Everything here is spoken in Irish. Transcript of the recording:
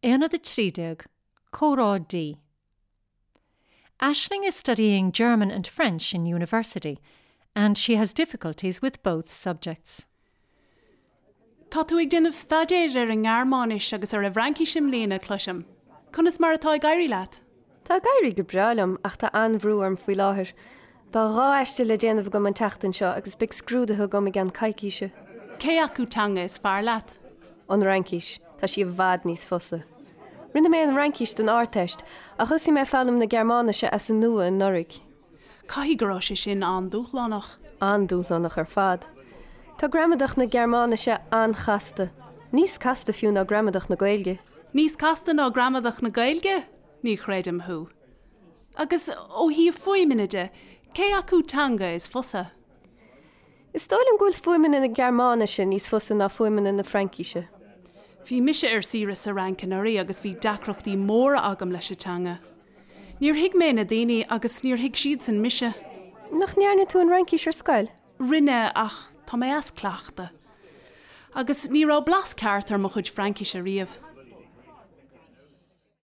Aonad 13, Comhrá D. Aisling is studying German and French in university and she has difficulties with both subjects. Tá tú ag déanamh staidéir ar an nGearmáinis agus ar an bhFraincis i mbliana, cloisim. Conas mar atá ag éirí leat? Tá ag éirí go breá liom ach tá an-bhrú orm faoi láthair. Tá 2 aiste le déanamh agam an tseachtain seo agus beidh scrúduithe agam i gceann coicíse. Cé acu teanga is fearr leat? An Fhraincis. Tá sí i bhfad níos fusa. Rinne mé an Fhraincis don Ardteist ach thosaigh mé ag foghlaim na Gearmáinise as an nua anuraidh. Caithfidh go raibh sé sin an-dúshlánach. An-dúshlánach ar fad. Tá gramadach na Gearmáinise an-chasta. Níos casta fiú ná gramadach na Gaeilge. Níos casta ná gramadach na Gaeilge? Ní chreidim thú. Agus ó thaobh fuaimeanna de, cé acu teanga is fusa? Is dóigh liom go bhfuil fuaimeanna na Gearmáinise níos fusa ná fuaimeanna na Fraincise. Bhí mise ar saoire sa Fhrainc anuraidh agus bhí deacrachtaí móra agam leis an teanga. Níor thuig mé na daoine agus níor thuig siadsan mise. Nach ndearna tú an Fhraincis ar scoil? Rinne, ach tá mé as cleachtadh. Agus ní raibh blas ceart ar mo chuid Fraincise riamh.